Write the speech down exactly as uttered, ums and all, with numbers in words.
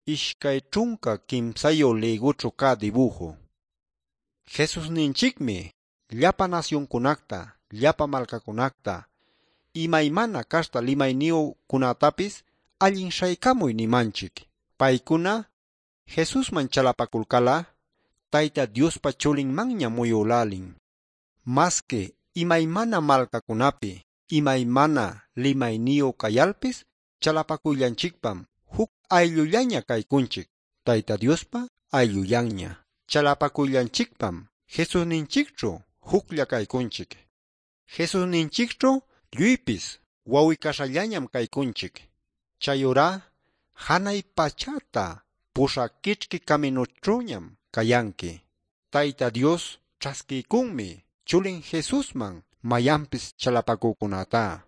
Ishkay ćhunka kimsayu lïgućhu cä dibuju. Jesusninchicmi llapa nasyuncunacta, llapa malcacunacta, imaymana caśhta limayniyücunätapis allin śhaycamuy nimanchic. Paycuna Jesusman chalapaculcal'a Tayta Diospa chulinmanñam muyülälin. Masqui imaymana malcacunapi, imaymana limayniyu cayalpis chalapacuyllanchicpam juc ayllullaña caycunchic, Tayta Diospa ayllullanña. Chalapacuyllanchicpam Jesusninchicćhu juclla caycunchic. Jesusninchicćhu lluypis waw'i-caśhallañam caycunchic. Chayurá janay pachäta puśhä quićhqui caminućhüñam cayanqui. Tayta Dios ćhasquiycunmi chulin Jesusman mayanpis chalapacücunätá.